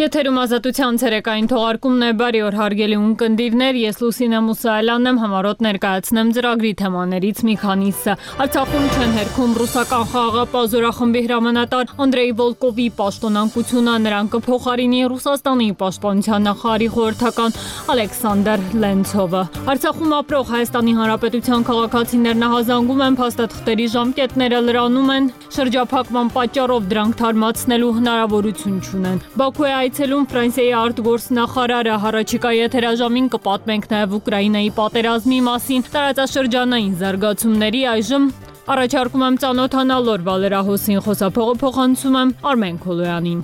Եթերում ազատության ցերեկային թողարկումն է, բարի օր հարգելի ունկնդիրներ, ես Լուսինե Մուսայելյանն եմ, համառոտ ներկայացնեմ ծրագրի թեմաներից մի քանիսը։ Արցախում չեն հերքում ռուսական խաղաղապահ զորախմբի հրամանատար Անդրեյ Վոլկովի պաշտոնանկությունը, նրան կփոխարինի Ռուսաստանի պաշտպանության նախարարի խորհրդական Ալեքսանդր Լենցովը։ Արցախում ապրող Հայաստանի Հանրապետության քաղաքացիներ նահազանգում են, փաստաթղթերի ժամկետները լրանում են, շրջափակման պատճառով դրանք թարմացնելու հնարավորություն չունեն։ Բաքու է այցելում Ֆրանսիայի արտգործնախարարը, առաջիկա եթերաժամին կպատմենք նաև Ուկրաինայի պատերազմի մասին, տարածաշրջանային զարգացումների այժմ առաջարկում եմ ծանոթանալ օրվա լրահոսին, խոսափողը փոխանցում եմ Արմեն Քոլոյանին։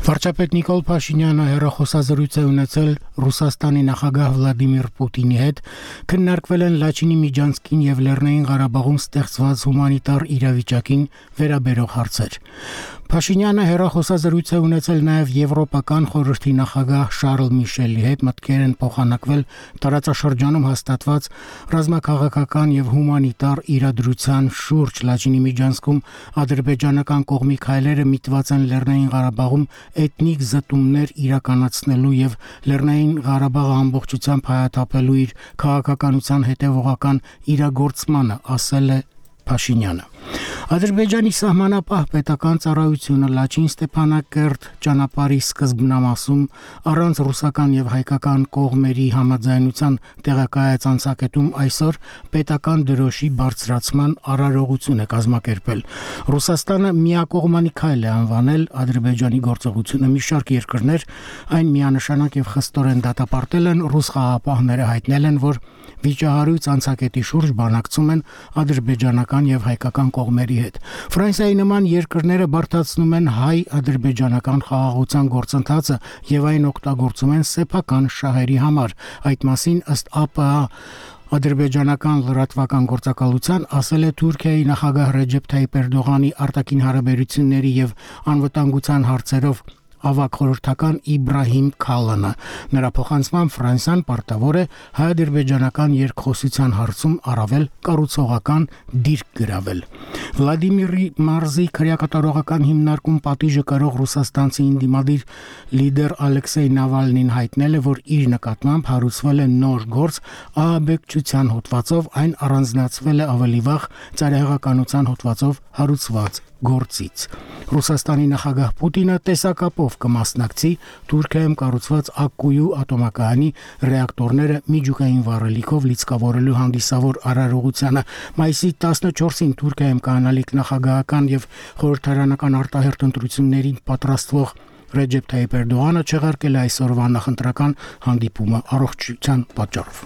Վարչապետ Նիկոլ Փաշինյանը հեռախոսազրույց է ունեցել Ռուսաստանի նախագահ Վլադիմիր Պուտինի հետ, քննարկվել են Լաչինի Միջանցքին եւ Լեռնային Ղարաբաղում ստեղծված հումանիտար իրավիճակին վերաբերող հարցեր։ Փաշինյանը հեռախոսազրույց է ունեցել նաև Եվրոպական խորհրդի նախագահ Շարլ Միշելի հետ, մտքեր են փոխանակվել տարածաշրջանում հաստատված ռազմաքաղաքական եւ հումանիտար իրադրության շուրջ։ Լաչինի Միջանցքում ադրբեջանական կողմի քայլերը միտված են Լեռնային Ղարաբաղում էթնիկ զտումներ իրականացնելու եւ Լեռնային Ղարաբաղը ամբողջությամբ հայաթափելու իր քաղաքականության հետևողական իրագործմանը, ասել է Փաշինյանը։ Ադրբեջանի սահմանապահ պետական ծառայությունը Լաչին Ստեփանակերտ ճանապարհի սկզբնամասում առանց ռուսական եւ հայկական կողմերի համաձայնության տեղակայած անցակետում այսօր պետական դրոշի բարձրացման արարողություն է կազմակերպել։ Ռուսաստանը միակողմանի քայլ է անվանել Ադրբեջանի գործողությունը։ Մի շարք երկրներ այն միանշանակ եւ խստորեն դատապարտել են, ռուս խաղաղապահները հայտնել են, որ վիճահարույց անցակետի շուրջ բանակցում են ադրբեջանական եւ հայկական կողմերի հետ։ Ֆրանսիայի նման երկրները բարդացնում են հայ-ադրբեջանական խաղաղության գործընթացը եւ այն օգտագործում են սեփական շահերի համար։ Այդ մասին ըստ ԱՊՀ ադրբեջանական լրատվական գործակալության ասել է Թուրքիայի նախագահ Ռեջեփ Թայիպ Էրդողանի արտաքին հարաբերությունների եւ անվտանգության հարցերով ավագ խորհրդական Իբրահիմ Քալանը։ Նրա փոխանցմամբ Ֆրանսիան պարտավոր է հայ-ադրբեջանական երկխոսության հարցում առավել կառուցողական դիրք գրավել։ Վլադիմիրի մարզի քրեակատարողական հիմնարկում պատիժը կրող ռուսաստանցի ինդիմադիր լիդեր Ալեքսեյ Նավալնին հայտնել է, որ իր նկատմամբ հարուցվել է նոր գործ ահաբեկչության հոդվածով, այն առանձնացվել է ավելի վաղ ծայրահեղականության հոդվածով հարուցված գործից։ Ռուսաստանի նախագահ Պուտինը տեսակապով կմասնակցի Թուրքիայում կառուցված Ակկույու ատոմակայանի ռեակտորները միջուկային վառելիքով լիցքավորելու հանդիսավոր արարողությանը։ Մայիսի 14-ին Թուրքիայում կանալիք նախագահական եւ խորհրդարանական արտահերթ ընտրություններին պատրաստվող Ռեջեփ Թայիպ Էրդողանը չեղարկել է այսօրվա նախընտրական հանդիպումը առողջության պատճառով։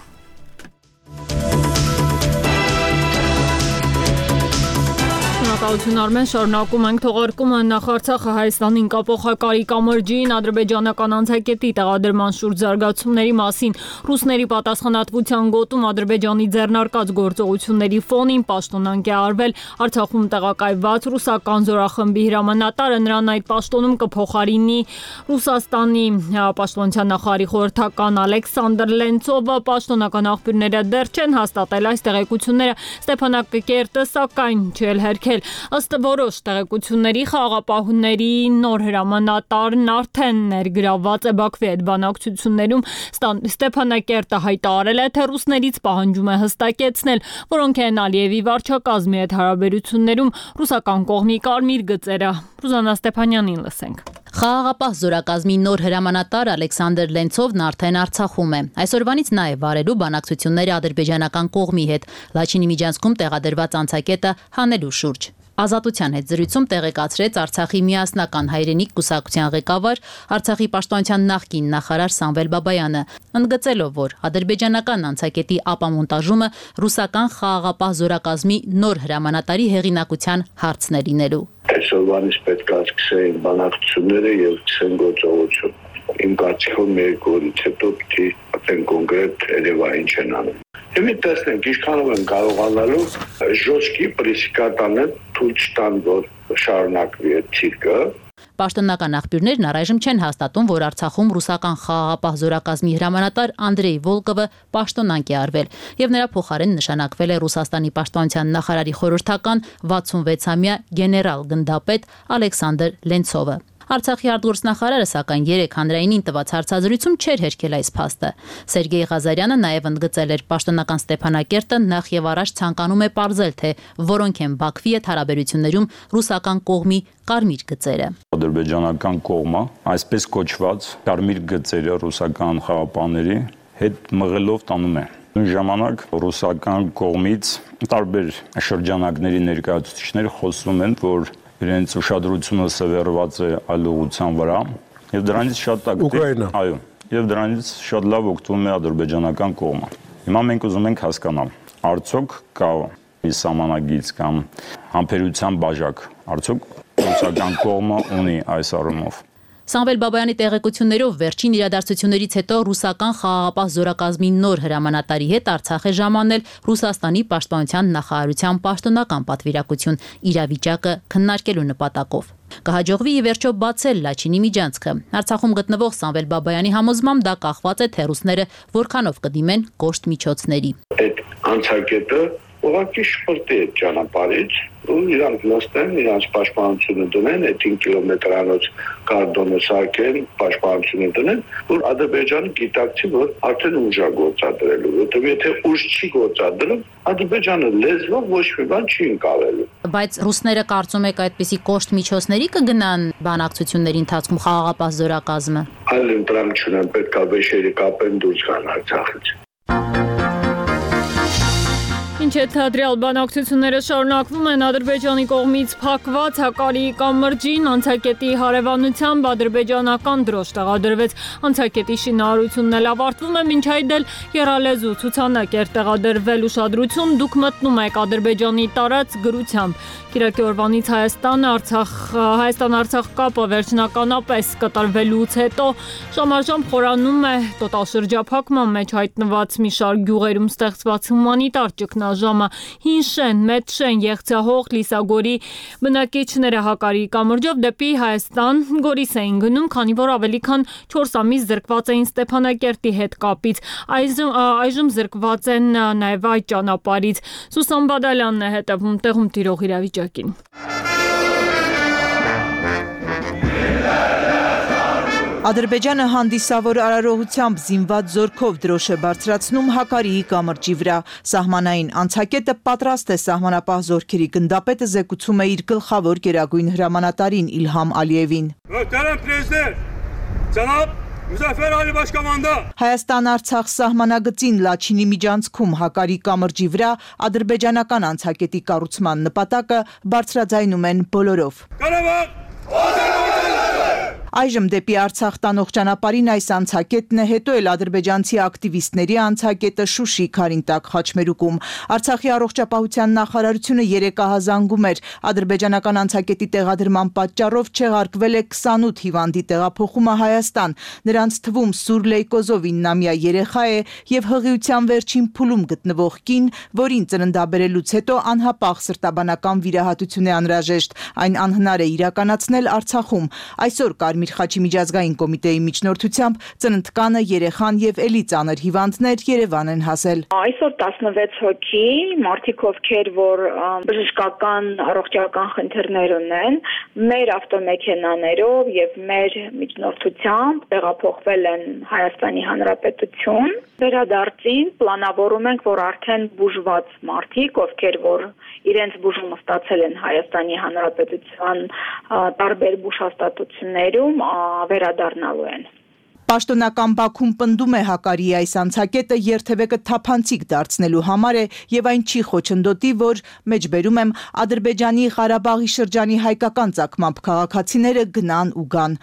Արմեն, շարունակում ենք թողարկումը նախ Արցախը Հայաստանին կապող Հակարի կամրջին ադրբեջանական անցակետի տեղադրման շուրջ զարգացումների մասին ռուսների պատասխանատվության գոտում Ադրբեջանի ձեռնարկած գործողությունների ֆոնին պաշտոնանկ է արվել Արցախում տեղակայված ռուսական զորախմբի հրամանատարը, նրան այդ պաշտոնում կփոխարինի Ռուսաստանի պաշտպանության նախարարի խորհրդական Ալեքսանդր Լենցովը։ Պաշտոնական աղբյուրները դեռ չեն հաստատել այս տեղեկությունները, Ստեփանակերտը սակայն չի հերքել։ Ըստ որոշ տեղեկությունների խաղաղապահների նոր հրամանատարն արդեն ներգրավված է Բաքվի հետ բանակցություններում։ Ստեփանակերտը հայտարարել է, թե ռուսներից պահանջում է հստակեցնել, որոնք են Ալիևի վարչակազմի հետ հարաբերություններում ռուսական կողմի կարմիր գծերը։ Ռուզաննա Ստեփանյանին լսենք։ Խաղաղապահ զորակազմի նոր հրամանատար Ալեքսանդր Լենցովն արդեն Արցախում է։ Այսօրվանից նա է վարելու բանակցությունները ադրբեջանական կողմի հետ Լաչինի Միջանցքում տեղադրված անցակետը հանելու շուրջ։ Ազատության հետ զրույցում տեղեկացրեց Արցախի միասնական հայրենիք կուսակցության ղեկավար, Արցախի պաշտպանության նախկին նախարար Սամվել Բաբայանը, ընդգծելով, որ ադրբեջանական անցակետի ապամոնտաժումը ռուսական խաղաղապահ զորակազմի նոր հրամանատարի հեղինակության հարցն է լինելու։ Այսօրվանից պետք է սկսեն բանակցությունները եւ սկսեն գործողություն։ Իմ կարծիքով մի օրից հետո պիտի ասեն կոնկրետ Երևան ինչ են անում։ Հիմա տեսնենք ինչքանով են կարողանալու ժոչքի պրեսիկատանել թույլ չտան, որ շարունակվի այդ ցիրկը։ Պաշտոնական աղբյուրներն առայժմ չեն հաստատում, որ Արցախում ռուսական խաղաղապահ զորակազմի հրամանատար Անդրեյ Վոլկովը պաշտոնանկ է արվել եւ նրա փոխարեն նշանակվել է Ռուսաստանի պաշտպանության նախարարի խորհրդական 66-ամյա գեներալ գնդապետ Ալեքսանդր Լենցովը։ Արցախի արտգործնախարարը սակայն 3 հանրայինին տված հարցազրույցում չէր հերքել այս փաստը։ Սերգեյ Ղազարյանը նաև ընդգծել էր պաշտոնական Ստեփանակերտը նախ եւ առաջ ցանկանում է պարզել, թե որոնք են Բաքվի հետ հարաբերություններում ռուսական կողմի կարմիր գծերը։ Ադրբեջանական կողմը այսպես կոչված կարմիր գծերը ռուսական խաղապանների հետ մղելով տանում է։ Նույն ժամանակ ռուսական կողմից տարբեր շրջանակների ներկայացուցիչներ խոսում են, որ իրենց ուշադրությունը սևեռված է այլ ուղղության վրա եւ դրանից շատ ակտիվ, այո, եւ դրանից շատ լավ օգտվում է ադրբեջանական կողմը։ Հիմա մենք ուզում ենք հասկանալ, արդյոք կա մի սահմանագիծ կամ համբերության բաժակ, արդյոք ռուսական կողմը ունի այս առումով։ Սամվել Բաբայանի տեղեկություններով վերջին իրադարձություններից հետո ռուսական խաղաղապահ զորակազմի նոր հրամանատարի հետ Արցախ է ժամանել Ռուսաստանի պաշտպանության նախարարության պաշտոնական պատվիրակություն իրավիճակը քննարկելու նպատակով։ Կհաջողվի ի վերջո բացել Լաչինի միջանցքը։ Արցախում գտնվող Սամվել Բաբայանի համոզմամբ դա կախված է թե ռուսները որքանով կդիմեն կոշտ միջոցների։ Այդ անցակետը ուղղակի շփոթի է ճանապարհից ու իրանք նստեն, իրանք պաշտպանությունը դնեն, այդ 5 կիլոմետրանոց կարդոնը սարքեն, պաշտպանությունը դնեն, որ Ադրբեջանը գիտակցի, որ արդեն ուժ է գործադրելու, որտեղ եթե ուժ չի գործադրում, Ադրբեջանը լեզվով ոչ մի բան չի ընկալելու։ Բայց ռուսները կարծում եք այդպիսի կոշտ միջոցների կգնան բանակցությունների ընթացքում խաղաղապահ զորակազմը։ Այլ ընտրանք չունեն, պետք է վեշերը կապեն դուրս գան Արցախից։ Ինչ է թադրյալ բանակցությունները շարունակվում են Ադրբեջանի կողմից փակված Հակարիի կամրջին անցակետի հարևանությամբ ադրբեջանական դրոշ տեղադրվեց։ Անցակետի շինարարությունն էլ ավարտվում է, մինչ այդ էլ եռալեզու ցուցանակ էր տեղադրվել ուշադրություն, դուք մտնում եք Ադրբեջանի տարած գրությամբ։ Կիրակի օրվանից Հայաստան-Արցախ կապը վերջնականապես կատարվելուց հետո շամարժամ խորանում է տոտալ շրջափակման մեջ հայտնված մի շարք գյուղերում ստեղծված հումանիտար ճգնաժամը։ Հին շեն, մեծ շեն, Եղցահող, Լիսագորի բնակիչները Հակարիի կամրջով դեպի Հայաստան Գորիս էին գնում, քանի որ ավելի քան 4 ամիս զրկված էին Ստեփանակերտի հետ կապից։ Այժմ զրկված են նաև այդ ճանապարհից։ Սուսան Բադալյանն է հետևում տեղում տիրող իրավիճակին։ Ադրբեջանը հանդիսավոր արարողությամբ զինված զորքով դրոշ է բարձրացնում Հակարիի կամրջի վրա։ Սահմանային անցակետը պատրաստ է սահմանապահ զորքերի գնդապետը զեկուցում է իր գլխավոր գերագույն հրամանատարին Իլհամ Ալիևին։ Հայաստան-Արցախ սահմանագծին Լաչինի միջանցքում Հակարի կամրջի վրա ադրբեջանական անցակետի կառուցման նպատակը բարձրաձայնում են բոլորով։ Այժմ դեպի Արցախ տանող ճանապարհին այս անցակետն է, հետո էլ ադրբեջանցի ակտիվիստների անցակետը Շուշի, Քարինտակ, Խաչմերուկում։ Արցախի առողջապահության նախարարությունը երեկահազանգում էր ադրբեջանական անցակետի տեղադրման պատճառով չեղարկվել է 28 հիվանդի տեղափոխումը Հայաստան։ Նրանց թվում սուր լեյկոզով 9-ամյա երեխա է եւ հղիության վերջին փուլում գտնվող կին, որին ծննդաբերելուց հետո անհապաղ սրտաբանական վիրահատություն է անհրաժեշտ։ Այն անհնար է իրականացնել Արցախում։ Այսօր Կարմիր խաչի միջազգային կոմիտեի միջնորդությամբ ծննդկանը, երեխան եւ էլի ծանր հիվանդներ Երևան են հասել։ Այսօր 16 հոգի, մարդիկ ովքեր որ բժշկական առողջական խնդիրներ ունեն, մեր ավտոմեքենաներով եւ մեր միջնորդությամբ տեղափոխվել են Հայաստանի Հանրապետություն։ Վերադարձին պլանավորում ենք, որ արդեն բուժված մարդիկ, ովքեր որ իրենց բուժումը ստացել են Հայաստանի Հանրապետության տարբեր բուժհաստատություններում վերադառնալու են։ Պաշտոնական Բաքուն պնդում է Հակարիի այս անցակետը երթևեկը թափանցիկ դարձնելու համար է եւ այն չի խոչընդոտի, որ մեջբերում եմ Ադրբեջանի Ղարաբաղի շրջանի հայկական ծագմամբ քաղաքացիները գնան ու գան։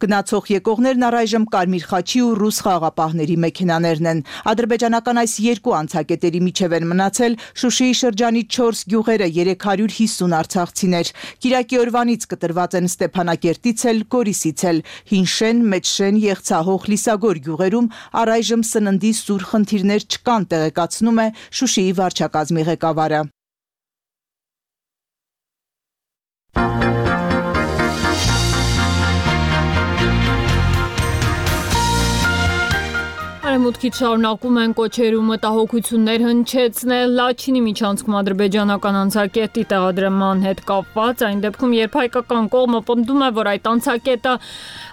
Գնացող եկողներն առայժմ Կարմիր խաչի ու ռուս խաղաղապահների մեքենաներն են։ Ադրբեջանական այս երկու անցակետերի միջև են մնացել Շուշիի շրջանի 4 գյուղերը 350 արցախցիներ։ Կիրակի օրվանից կտրված են Ստեփանակերտից էլ, Գորիսից էլ, Հինշեն, Մեջշեն, Եղցահող, Լիսագոր գյուղերում առայժմ սննդի սուր խնդիրներ չկան, տեղեկացնում է Շուշիի վարչակազմի ղեկավարը։ Արևմուտքից շարունակում են կոչեր ու մտահոգություններ հնչեցնել Լաչինի միջանցքում ադրբեջանական անցակետի տեղադրման հետ կապված, այն դեպքում, երբ հայկական կողմը պնդում է, որ այդ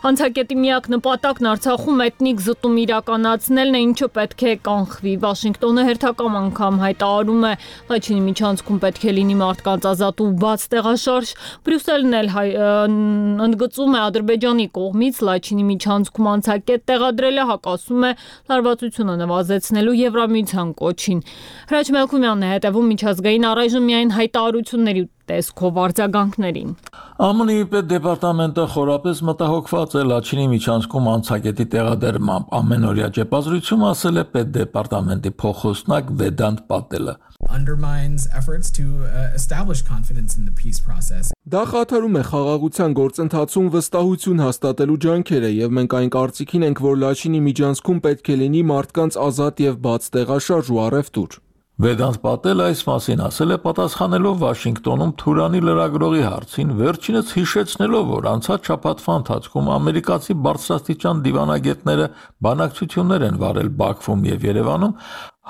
անցակետի միակ նպատակն Արցախում էթնիկ զտում իրականացնելն է, ինչը պետք է կանխվի։ Վաշինգտոնը հերթական անգամ հայտարարում է Լաչինի միջանցքում պետք է լինի մարդկանց ազատ ու բաց տեղաշարժ։ Բրյուսելն էլ ընդգծում է Ադրբեջանի կողմից Լաչինի միջանցքում անցակետ տեղադրելը հակասում է լարվածությունը նվազեցնելու Եվրամիության կոչին։ Հրաչ Մելքումյանն է հետևում միջազգային առայժմ միայն հայտարարությունների տեսքով արձագանքներին։ ԱՄՆ-ի պետդեպարտամենտը խորապես մտահոգված է Լաչինի միջանցքում անցակետի տեղադրմամբ։ Ամենօրյա ճեպազրույցում ասել է պետդեպարտամենտի փոխոստնակ Վեդանտ Պատելը։ Undermines efforts to establish confidence in the peace process. Դա խաթարում է խաղաղության գործընթացում վստահություն հաստատելու ջանքերը եւ մենք այն կարծիքին ենք, որ Լաչինի միջանցքում պետք է լինի մարդկանց ազատ եւ բաց տեղաշարժ ու առևտուր։ Վեդանտ Պատելը այս մասին ասել է պատասխանելով Վաշինգտոնում Թուրանի լրագրողի հարցին, վերջինս հիշեցնելով, որ անցած շաբաթվա ընթացքում ամերիկացի բարձրաստիճան դիվանագետները բանակցություններ են վարել Բաքվում եւ Երևանում,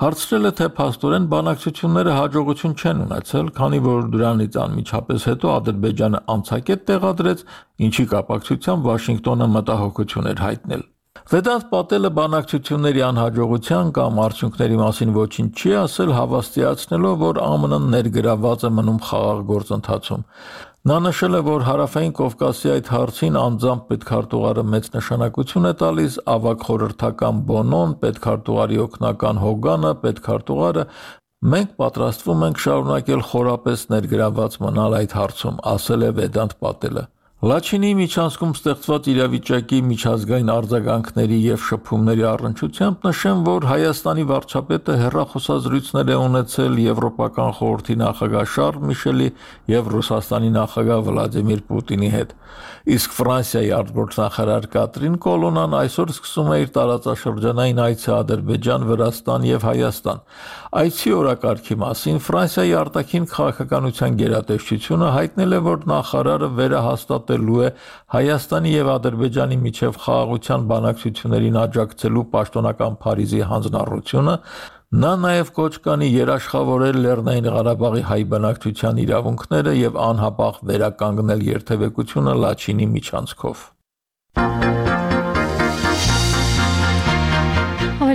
հարցրել է, թե փաստորեն բանակցությունները հաջողություն չեն ունեցել, քանի որ դրանից անմիջապես հետո Ադրբեջանը անցակետ տեղադրեց, ինչի կապակցությամբ Վաշինգտոնը մտահոգություն էր հայտնել։ Վեդանտ Պատելը բանակցությունների անհաջողության կամ արդյունքների մասին ոչինչ չի ասել, հավաստիացնելով, որ ԱՄՆ-ն ներգրավված է մնում խաղաղ գործընթացում։ Նա նշել է, որ Հարավային Կովկասի այդ հարցին անձամբ պետքարտուղարը մեծ նշանակություն է տալիս, ավագ խորհրդական Բոնոն, պետքարտուղարի օգնական Հոգանը, պետքարտուղարը մենք պատրաստվում ենք շարունակել խորապես ներգրավված մնալ այդ հարցում, ասել է Վեդանտ Պատելը։ Լաչինի միջանցքում ստեղծված իրավիճակի միջազգային արձագանքների եւ շփումների առնչությամբ նշեմ, որ Հայաստանի վարչապետը հեռախոսազրույցներ է ունեցել Եվրոպական խորհրդի նախագահ Շարլ Միշելի եւ Ռուսաստանի նախագահ Վլադիմիր Պուտինի հետ։ Իսկ Ֆրանսիայի արտգործնախարար Կատրին Կոլոնան այսօր սկսում է իր տարածաշրջանային այցը Ադրբեջան, Վրաստան եւ Հայաստան։ Այցի օրակարգի մասին Ֆրանսիայի արտաքին քաղաքականության գերատեսչությունը հայտնել է, որ նախարարը վերահաստատելու է Հայաստանի եւ Ադրբեջանի միջև խաղաղության բանակցություններին աջակցելու պաշտոնական Փարիզի հանձնառությունը։ Նա նաև կոչ կանի երաշխավորել Լեռնային Ղարաբաղի հայ բնակչության իրավունքները եւ անհապաղ վերականգնել երթևեկությունը Լաչինի միջանցքով։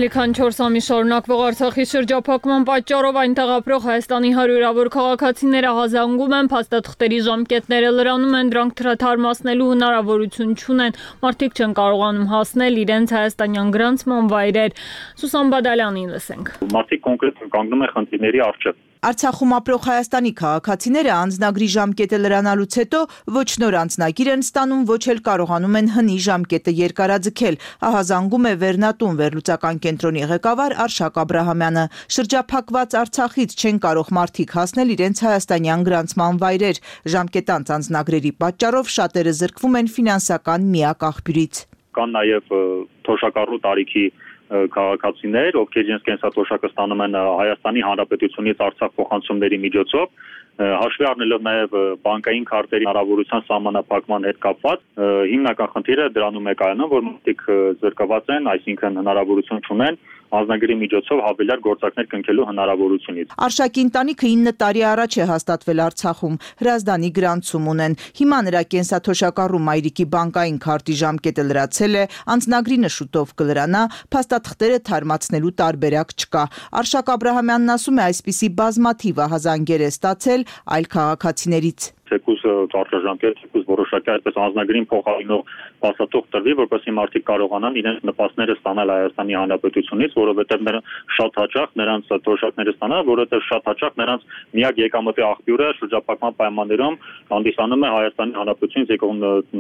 Ավելի քան 4 ամիս շարունակվող Արցախի շրջափակման պատճառով այնտեղ ապրող Հայաստանի հարյուրավոր քաղաքացիները հազանգում են, փաստաթղթերի ժամկետները լրանում են, դրանք թարմացնելու հնարավորություն չունեն, մարդիկ չեն կարողանում հասնել իրենց հայաստանյան գրանցման վայրեր։ Սուսան Բադալյանին լսենք։ Մարդիկ կոնկրետ կանգնում են խնդիրների առջև։ Արցախում ապրող Հայաստանի քաղաքացիները անձնագրի ժամկետը լրանալուց հետո ոչ նոր անձնագիր են ստանում, ոչ էլ կարողանում են հնի ժամկետը երկարաձգել, ահազանգում է Վերնատուն վերլուծական կենտրոնի ղեկավար Արշակ Աբրահամյանը։ Շրջափակված Արցախից չեն կարող մարդիկ հասնել իրենց հայաստանյան գրանցման վայրեր։ Ժամկետանց անձնագրերի պատճառով շատերը զրկվում են ֆինանսական միակ աղբյուրից։ Կան նաև թոշակառու տարիքի քաղաքացիներ, ովքեր իրենց կենսաթոշակը ստանում են Հայաստանի Հանրապետությունից Արցախ փոխանցումների միջոցով, հաշվի առնելով նաև բանկային քարտերի հնարավորության սահմանափակման հետ կապված, հիմնական խնդիրը դրանում է կայանում, որ մարդիկ զրկված են, այսինքն հնարավորություն չունեն անձնագրի միջոցով հավելյալ գործակներ կնքելու հնարավորությունից։ Արշակի ընտանիքը 9 տարի առաջ է հաստատվել Արցախում, հրազդանի գրանցում ունեն։ Հիմա նրա կենսաթոշակառու մայրիկի բանկային քարտի ժամկետը լրացել է, անձնագրինը շուտով կլրանա, փաստաթղթերը թարմացնելու տարբերակ չկա։ Արշակ Աբրահամյանն ասում է, այսպիսի բազմաթիվ ահազանգեր է ստացել այլ քաղաքացիներից։ թեկուզ ճարտարժամկետ, թեկուզ որոշակի այսպես անձնագրին փոխարինող փաստաթուղթ տրվի, որպեսզի մարդիկ կարողանան իրենց նպաստները ստանալ Հայաստանի Հանրապետությունից, որովհետև շատ հաճախ նրանց թոշակները ստանալ, որովհետև շատ հաճախ նրանց միակ եկամտի աղբյուրը շրջափակման պայմաններում հանդիսանում է Հայաստանի Հանրապետությունից եկող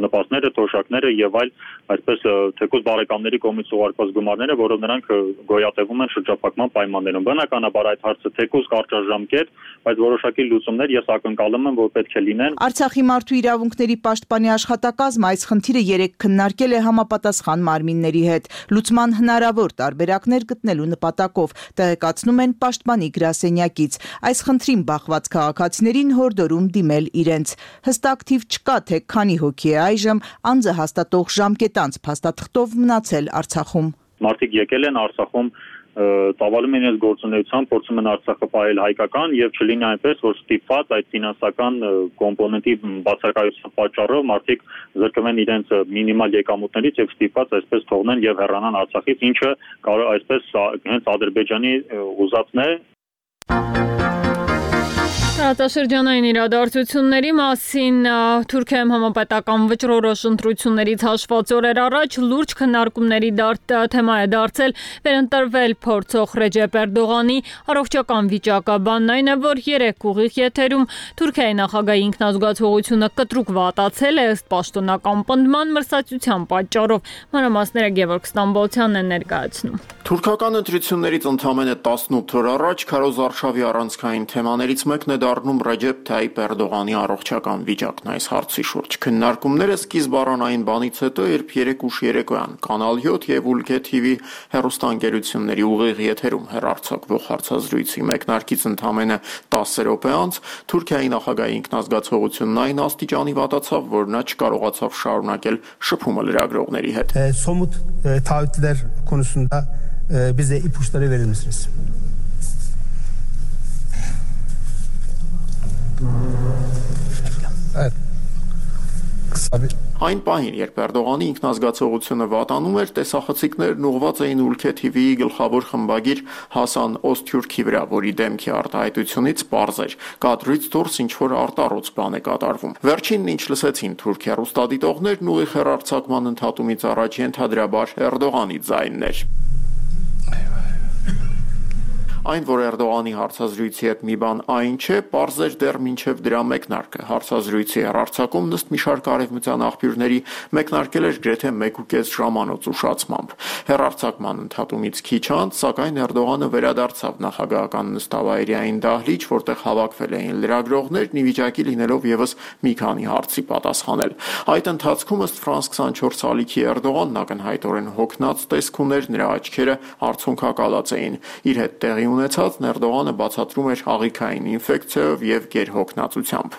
նպաստները, թոշակները եւ այլ այսպես թեկուզ բարեկամների կողմից ուղարկված գումարները, որով նրանք գոյատևում են շրջափակման պայմաններում։ Բնականաբար այդ հարցը թեկուզ կարճաժամկետ, բայց որոշակի լուծումներ ես ակնկալում եմ, որ պետք է լինեն։ Արցախի մարդու իրավունքների պաշտպանի աշխատակազմը այս խնդիրը երեկ քննարկել է համապատասխան մարմինների հետ, լուծման հնարավոր տարբերակներ գտնելու նպատակով, տեղեկացնում են պաշտպանի գրասենյակից։ Այս խնդրին բախված քաղաքացիներին հորդորում դիմել իրենց։ Հստակ թիվ չկա, թե քանի հոգի է այժմ անձը հաստատող ժամկետանց փաստաթղթով մնացել Արցախում։ Մարդիկ եկել են Արցախում, ծավալում են իրենց գործունեությամբ, փորձում են Արցախը պահել հայկական եւ չլինի այնպես, որ ստիպված այդ ֆինանսական կոմպոնենտի բացակայության պատճառով մարդիկ զրկվեն իրենց մինիմալ եկամուտներից եւ ստիպված այսպես թողնեն եւ հեռանան Արցախից, ինչը կարող այսպես հենց Ադրբեջանի ուզածն է։ Տարածաշրջանային իրադարձությունների մասին Թուրքիայում համապետական վճռորոշ ընտրություններից հաշված օրեր առաջ լուրջ քննարկումների թեմա է դարձել վերընտրվել փորձող Ռեջեփ Էրդողանի առողջական վիճակը։ Բանն այն է, որ 3 ուղիղ եթերում Թուրքիայի նախագահի ինքնազգացողությունը կտրուկ վատացել է ըստ պաշտոնական պնդման մրցակցության պատճառով։ Մանրամասները Գևորգ Ստամբոլցյանն է ներկայացնում։ Թուրքական ընտրություններից ընդամենը 18 օր առաջ Քարոզ Արշավի առանցքային թեմաներից մեկն է դառնում Ռեջեփ Թայիփ Էրդողանի առողջական վիճակն այս հարցի շուրջ։ Քննարկումները սկիզբ առան այն բանից հետո, երբ 3 ուշ երեկոյան Կանալ 7 եւ Ուլգե TV հեռուստաընկերությունների ուղիղ եթերում հեռարձակվող հարցազրույցի մեկնարկից ընդամենը 10 րոպե անց Թուրքիայի նախագահի ինքնազգացողությունն այն աստիճանի վատացավ, որ նա չկարողացավ շարունակել շփումը լրագրողների հետ։ Somut taahhütler konusunda bize ipuçları verir misiniz? Evet. Kısa bir Այն պահին, երբ Էրդողանի ինքնազգացողությունը վատանում էր, տեսախցիկներն ուղղված էին Ուլգե TV-ի գլխավոր խմբագիր Հասան Օսթյուրքի վրա, որի դեմքի արտահայտությունից պարզ էր, կադրից դուրս ինչ-որ արտառոց բան է կատարվում։ Վերջինն ինչ լսեցին թուրք հեռուստադիտողներն ուղիղ հեռարձակման ընդհատումից առաջ ենթադրաբար Էրդողանի ձայնն էր։ Այն, որ Էրդողանի հարցազրույցի հետ մի բան այն չէ, պարզ էր դեռ մինչև դրա մեկնարկը։ Հարցազրույցի հեռարձակումն ըստ մի շարք արևմտյան աղբյուրների մեկնարկել էր գրեթե 1.5 ժամանոց ուշացմամբ։ Հեռարձակման ընդհատումից քիչ անց, սակայն Էրդողանը վերադարձավ նախագահական նստավայրային դահլիճ, որտեղ հավաքվել էին լրագրողներն ի վիճակի լինելով եւս մի քանի հարցի պատասխանել։ Այդ ընթացքում ըստ France 24 ալիքի Էրդողանն ակնհայտորեն հոգնած տեսք ուներ, նրա աչքերը արցունքակալած էին։ Իր հետ տեղի ունեցածն Էրդողանը բացատրում էր աղիքային ինֆեկցիայով եւ գերհոգնածությամբ։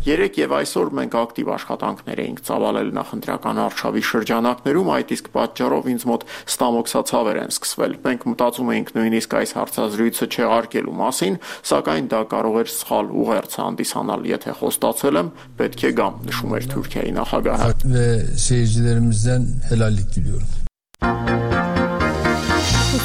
Երեք եւ այսօր մենք ակտիվ աշխատանքներ էինք ծավալել նախընտրական արշավի շրջանակներում, այդ իսկ պատճառով ինձ մոտ ստամոքսացավեր են սկսվել։ Մենք մտածում էինք նույնիսկ այս հարցազրույցը չեղարկելու մասին, սակայն դա կարող էր սխալ ուղերձ հանդիսանալ, եթե խոստացել եմ, պետք է գամ, նշում էր Թուրքիայի նախագահը։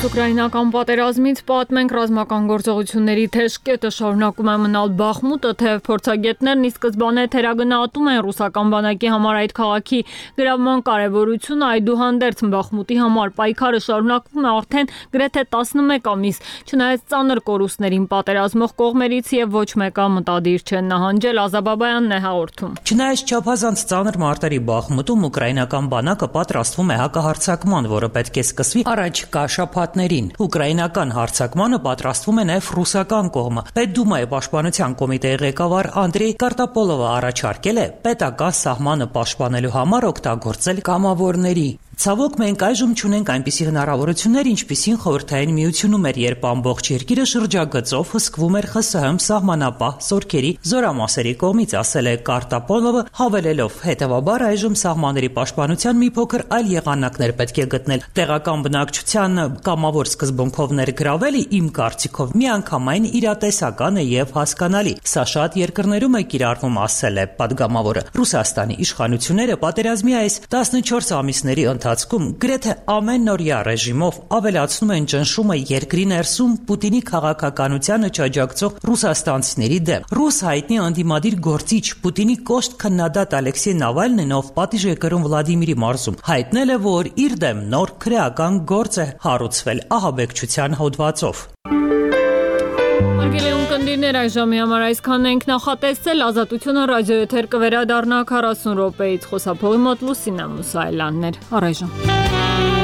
Ուկրաինական պատերազմից պատմենք ռազմական գործողությունների թեժ կետը շարունակում է մնալ Բախմուտը, թեև փորձագետներն ի սկզբանե թերագնահատում են ռուսական բանակի համար այդ քաղաքի գրավման կարևորությունը, այդուհանդերձ Բախմուտի համար պայքարը շարունակվում է արդեն գրեթե 11 ամիս, չնայած ծանր կորուստներին պատերազմող կողմերից եւ ոչ մեկը մտադիր չեն նահանջել։ Ազաբաբայանն է հաղորդում։ Չնայած չափազանց ծանր մարտերի Բախմուտում ուկրաինական բանակը պատրաստվում է հակահարձակման, որը պետք է սկսվի առաջիկա շաբաթներին։ Ուկրաինական հարձակմանը պատրաստվում է նաև ռուսական կողմը։ Պետդումայի պաշտպանության կոմիտեի ղեկավար Անդրեյ Կարտապոլովը առաջարկել է պետական սահմանը պաշտպանելու համար օգտագործել կամավորների։ Ցավոք մենք այժմ չունենք այնպիսի հնարավորություններ, ինչպիսին Խորհրդային Միությունում էր, երբ ամբողջ երկիրը շրջագծով հսկվում էր ԽՍՀՄ սահմանապահ զորքերի զորամասերի կողմից, ասել է Կարտապոլովը, հավելելով. հետևաբար այժմ սահմանների պաշտպանության մի փոքր այլ եղանակներ պետք է գտնել։ Տեղական բնակչության կամավոր սկզբունքով ներգրավելը իմ կարծիքով միանգամայն իրատեսական է եւ հասկանալի։ Սա շատ երկրներում է կիրառվում, ասել է պատգամավորը։ Ռուսաստանի իշխանությունները պատերազմի այս 14 ամիսների ընթացքում գրեթե ամենօրյա ռեժիմով ավելացնում են ճնշումը երկրի ներսում Պուտինի քաղաքականությանը չաջակցող ռուսաստանցիների դեմ։ Ռուս հայտնի անդիմադիր գործիչ Պուտինի կոշտ քննադատ Ալեքսեյ Նավալնին, ով պատիժ է կրում Վլադիմիրի մարզում, հայտնել է, որ իր դեմ նոր քրեական գործ է հարուցվել ահաբեկչության հոդվածով։ Արգելեուն կնդիրներ այս ժամի համար այսքանն ենք նախատեսել, Ազատությունը ռադիոեթեր կվերադառնա 40 րոպեից, խոսափողի մոտ Լուսինա Մուսայելյանն էր, առայժմ։